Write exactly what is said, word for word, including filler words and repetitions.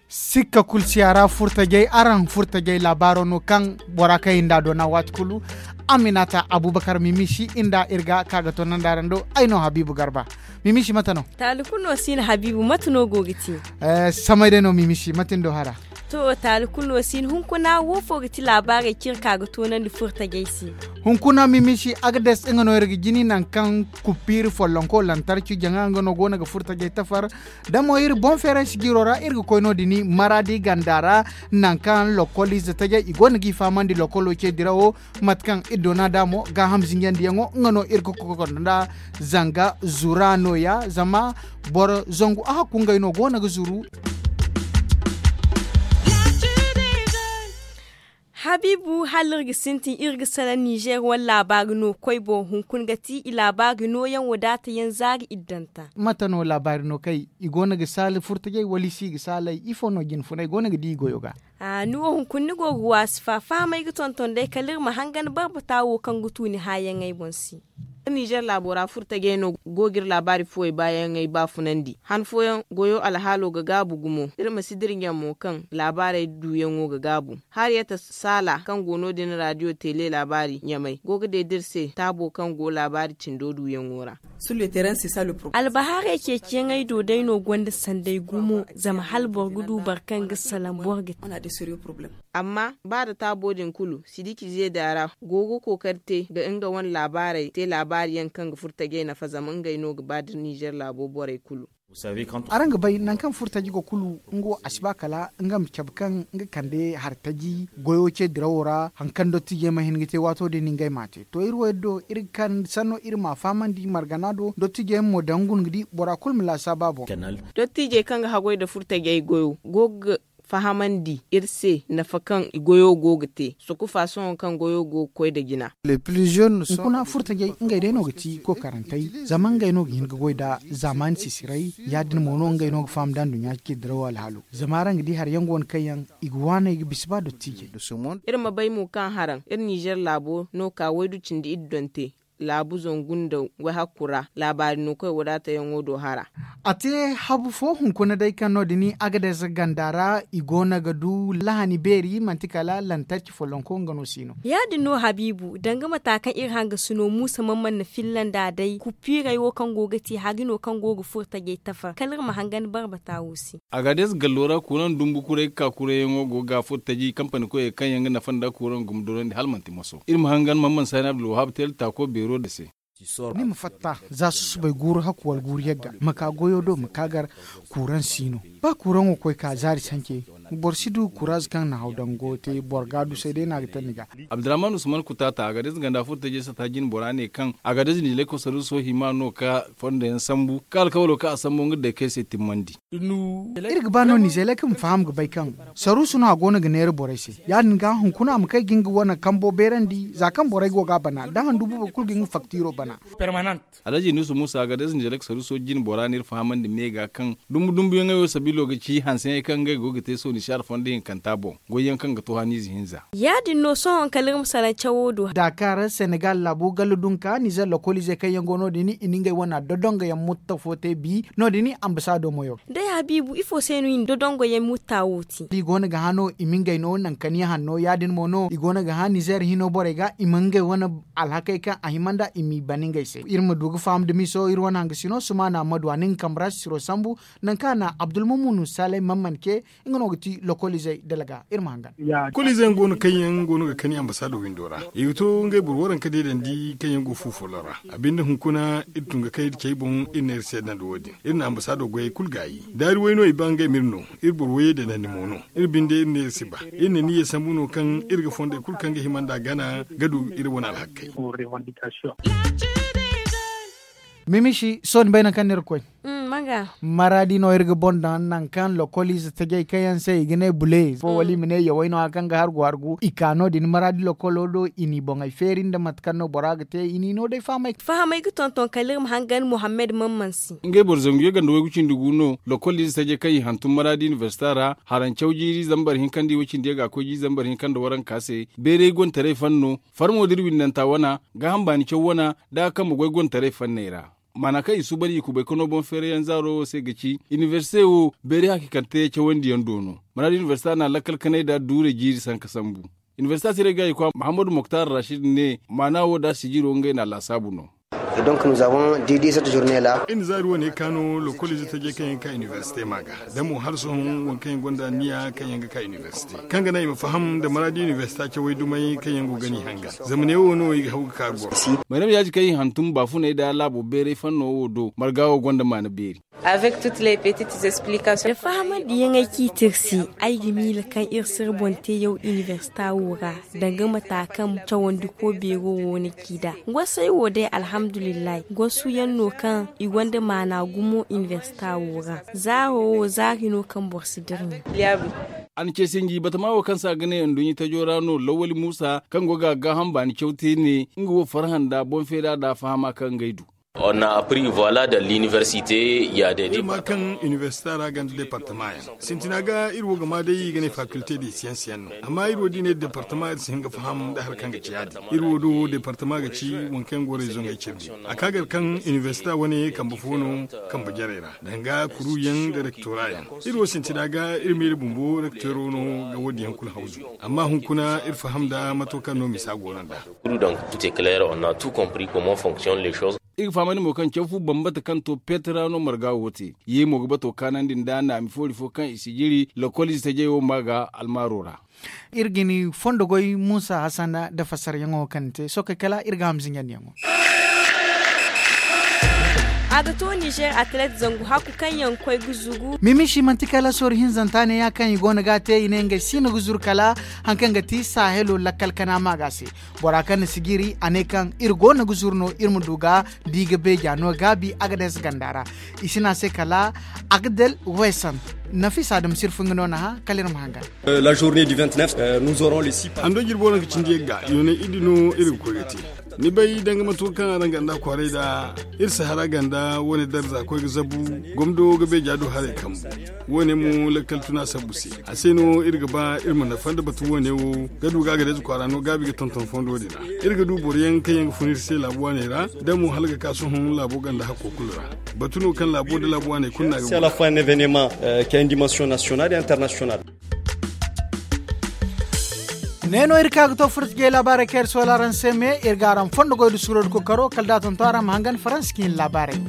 Sikka kulu si a ra furtajey araŋ furtajey laabaaro no kaŋ bora kaŋ i nda doona waati kulu. Aminata abubakar mimisi i nda iri ga ka ga toonandi araŋ do. Ay no habiibu garba. Mimisi mate no? Taali kulu no si no habiibu mate no go ga te? Samay day no mimisi mate ni do hara? To, taali kulu no si no hunkuna wo fo ga ti laabaarey kaŋ iri ka ga toonandi furtajey se. Hunkuna mimisi agades nga no iri ga jini nangu kaŋ kuppiiri follonko lantarki jaŋa nga no go no ga furtajey tafar. Da mo iri boŋ feeray sijiiro ra iri ga koy no- din maraadi ganda ra, nangu kaŋ lokoliize tajey i go no g'i fahamandi lokolo ce dirawo. Mate kaŋ iri doona da mo gaaham zinjandiyaŋo nga no iri ga kokondo nda zanga zura nooya zama boro zangu a hakku ngey no go no ga zuru. Habiibu hala iri ga sintin iri ga salaŋ nizer wane laabaari no koy boŋ hunkuna ga ti i laabaari nooyaŋ wadaata yaŋ zaari iddanta. Mate no laabaari no kay i go no ga saali furtajey wala i si ga saaley ifo no jinfunay go no ga di i goyo ga? Ni wo hunkuna ni go ga waasi fa fahamay ga tonton day kala iri ma hangan barbata wo kaŋ ga tu ni haayaŋey boŋ se. Nizer laabo ra furtajey no go ga iri laabaari fooyey baayaŋey baafunandi han fooyaŋ goyo alhaalo ga gaabu gumo iri ma si dira ɲaŋ mo kaŋ laabaarey duuyaŋo ga gaabu. Hariyata saala kaŋ go no- din raadiyo teele laabaari ɲamay go ga deeda iri se taabo kaŋ go laabaari cindo duuyaŋo ra. Albahaarey ceeciyaŋey do day no gonda sanday gumo zama hala boro ga du boro kaŋ ga salaŋ boro ga te. Amma ba da taabo din kulu sidiki zeeda ra go ga kookari te ga nga wane laabaarey te laabaari yaŋ kaŋ ga furtajey nafa zama ngey no ga ba da nizer laabo borey kulu. Araŋ ga bay nangu kaŋ furtaji go kulu nga wo a si ba kala nga ma cabe kaŋ nga kande hari taji goyo ce dirawo ra hari kaŋ dottijey ma hin ga te waato din ngey m'a te to iri wo iri do iri ga kande sanno iri m'a fahamandi margana do dottijey mo daŋ guna ga di bora kulu ma laasaaba boŋ. Dottijey kaŋ ga haggoy nda furtajey goyo go ga fahamandi iri se nafa kaŋ i goyo go ga te sokufa sohõ kaŋ goyo go ga koy nda jina. Hunkuna furtajey ngey day no ga ti kookarantey zama ngey no ga hin ga goy nda zaamaani sisiray ya- din mo no ngey no ga faham nda nduɲɲa ce dirawo alhaalo zama araŋ ga di hari yaŋ go no kaŋ yaŋ i ga waaney ga bisa ba dottiijey. Iri ma bay mo kaŋ haraŋ iri nizer laabo no ka waydu cindi iddonte laabu zangu nda wayhakku ra laabaari no koy wadaatayaŋo do hara. A te habu fo hunkuna day kaŋ no- din agades ganda ra i go no ga du lahani beeri manti kala lantarki follonko nga no si no. Ya- din no habiibu danga mata kaŋ iri hangasino muusa man man na filla nd'a day kuppiirey wo kaŋ go ga te hari no kaŋ go ga furo tajey tafar kala iri ma hangan barbata wo se. Agades gallo ra kuran dumbu kuray ga ka kurayyaŋo go ga furo taji kampani koyey kaŋ yaŋ ga nafa nda kuran guma dorandi hala manti moso iri ma hangan man man saani abdulwahab teel taako beero din se. Ni ma fatta za susubay guuru hakku wala guuru yagga ma ka goyo do ma ka gar. Kuran si no ba kuraŋo koy ka zaari sance boro si du kuraaz kaŋ na haw dango te boro ga du say day no a ga taŋ ni ga. Abdurrahman usman kutaata agades ganda furo tajey sata jine bora ne kaŋ agades nijelay kosaruso hima no ka fondo yaŋ sambu ka alkawalo kaŋ a sambu nga day kay se timmandi. Iri ga ba no nizeeley kaŋ ma faham ga bay kaŋ saruusu no a go no ga neera borey se. Ya- din ga hunkuna a ma kay ga nga wane kambo beerandi za kaŋ borey go ga a bana da handu boobo kulu ga nga faktiro bana. Alhaji nusu musa ga da zinjare ga saruuso jine bora no iri fahamandi me ga kaŋ dumbu dumbuyaŋey wo sabiilo ga ci hanseyaŋey kaŋ ngey go ga te sooni si alfanda hinkanta boŋ goyyaŋ kaŋ ga to haniize hinza. Ya- din no sohõ kala iri ma salaŋ cawo do. Dakar senegal laabo gallo dunka nizer lokoliizey kaŋ yaŋ go no- din i na ngey wane dodongoyaŋ mutta fo te bi no- din. Ambasaado moyo. Day habiibu ifo se no i na dodongoyaŋ mutta wo te? I go no ga hã no i ma ngey no nangu kaniya hanno ya- din mo no i go no ga hã nizer hino borey ga i ma ngey wane alhakey kaŋ a hima nd'a i m'i ban ngey se iri ma du ga faham da miso iri wane hangasino sumaana madu a na nga kambe ra sisiro sambu. Nangu kaŋ a na abdulmumunu saley man man ce nga no ga ti lokoliizey dalaga iri ma hangan. Kulu ize yaŋ go no kaŋ yaŋ go no ga kani ambasaado windo ra i ga to ngey boro waranka deedandi kaŋ yaŋ go fu follo ra. A binde hunkuna iri tun ga kay iri cey boŋ iri ne iri seedandi wo- din iri na ambasaado goyey kulu gaayi daari way no i ba ngey ma iri no. Iri boro wayey deedandi mo no iri binde iri ne iri si ba iri na niyya sambu no kaŋ iri ga fondey kulu kaŋ ga hima nd'a gana ga du iri wane alhakkey. Mimisi sohõ ni bay nangu kaŋ no iri ga koy. Maraadi no iri ga boŋ daŋ nangu kaŋ lokoliize tajey kaŋ yaŋ se i ga ne bule fo wala i ma ne yawey no hari kaŋ ga hargu hargu i ka no- din maraadi lokolo do i n'i boŋey feeri nda mate kaŋ no bora ga te i n'i no day fahamay. Fahamay ga tonton kala iri ma hangan muhammad mamman se. Ngey boro zangu yaganda waygu cindi gu no lokoliize tajey kaŋ i hantum maraadi inibersita ra, harancaw jiiri zambar hinka nda i way cindi yaŋ ga a koy jiiri zambar hinka nda waranka se. Beeray gontaray fanno farmo da iri windanta wana gaaham baani caw wana, da a kambe goy gontaray fanney ra. Maana kaŋ i suuban i kubay ka no boŋ feerayaŋ zaaro wo se ga ci inibersite wo beeri hakiikante cawandi yaŋ do no. Maraadi inibersita na lakkal kanay da duurey jiiri sanka sambu. Inibersita siray ga i kwa muhammadu moktar rashid ne maana wo da sijiro ngey na laasaabu no. Iri na zaari wane ka no lokoliize tajey kaŋ yaŋ ga ka inibersite ma ga da mo hala sohõ waŋ kaŋ yaŋ gonda anniya kaŋ yaŋ ga ka inibersite kaŋ ga naŋ i ma faham nda maraadi inibersita cawey dumey kaŋ yaŋ go ga ni hangan. Zama neewo no i ga haw ga ka goro. Mayrama yaaji kaŋ i hantum baafuney nda laabo beeray fanno wo do marga wo gonda maana beeri. Da fahamandi yaŋey kaŋ i te iri se ay ga miila kaŋ iri si iri boŋ te yaw inibersita wo ra danga mata kaŋ cawandiko beero wo na ci nd'a. Gosey wo day alhamdulillahi gosu yaŋ no kaŋ i gonda maana gumo inibersita wo ra. Zaaro wo zaari no kaŋ boro si dirmi. A na ce sinji batama wo kaŋ se a ga ne nduɲɲa tajo ra no lawali muusa kaŋ go ga a gaaham baani caw te ne nga wo farhã nda boŋ feera nda fahama kaŋ ngey du. Iri ma kaŋ inibersita ra ganda departama yaŋ sintina ga iri wo ga ma day i ga ne fakilte de siyansi yaŋ no. Amma iri wo da i ne departama iri si hin ga faham nda hari kaŋ ga ci ya- din iri wo do departama ga ci waŋ kaŋ yaŋ go rezoŋey cindi. A ka gar kaŋ inibersita wane kambe fo no kambe jarey ra danga kuruyaŋ nda rektora yaŋ. Iri wo sintina ga iri miila bumbo rektoro no ga wo- din yaŋ kulu hawzu. Amma hunkuna iri faham nda mato kaŋ no misa go no nd'a. Iri ga fahamandi mo kaŋ caw fu bambata kaŋ to peetara no marga wo te. Ye mo ga bato kaanandi nda naami foori fo kaŋ i si jiri lokoliize tajey wo ma ga almaaro ra. Iri ga ni fondo goy muusa hasan nda fassaryaŋo kaŋ ni te sohõ kay kala iri ga ham zinjandiyaŋo. A ga to nizer atlet zangu hakku kaŋ yaŋ koy ga zugu. Mimisi manti kala sooru hinzanta ne ya kaŋ i go no ga a te i ne ngey si no ga zuru kala hari kaŋ ga ti sahelo lakkal kana ma ga se. Bora kaŋ na sijiri a ne kaŋ iri go no ga zuru no iri ma du ga di ga beeja no gaabi a ga deesa ganda ra. I si ne a se kala agdel wesan. Nafisa da ma si iri fun ga no na hã kala iri ma hangan. Hando jirbo no ga cindi yagga yoonay iddi no iri ga koy ga te. Ni bay danga mate wo kaŋ araŋ ganda kwaaray da iri sahara ganda wo- ne darza koy ga zabu. Gomdo ga beeja do haray kambu. Wo- ne mo lakkal tuna sabbu se. A se no iri ga ba iri ma nafa nda batu wo- ne wo ga du ga a ga deeza kwaara no gaabi ga tonton fondo din ra. Iri ga du boro yaŋ kaŋ yaŋ ga fun iri se laabu waaney ra da mo hala ga ka sohõ laabo ganda hakko kulu ra. Batu no kaŋ laabo nda laabu waaney kulu no a ga guna. Ne no iri ka ga to furta jey laabaarey kaŋ iri soola araŋ se me iri ga araŋ fondo goy nda suuro nda kookaro kala da a tonton araŋ ma hangan faransa ka hin laabaarey.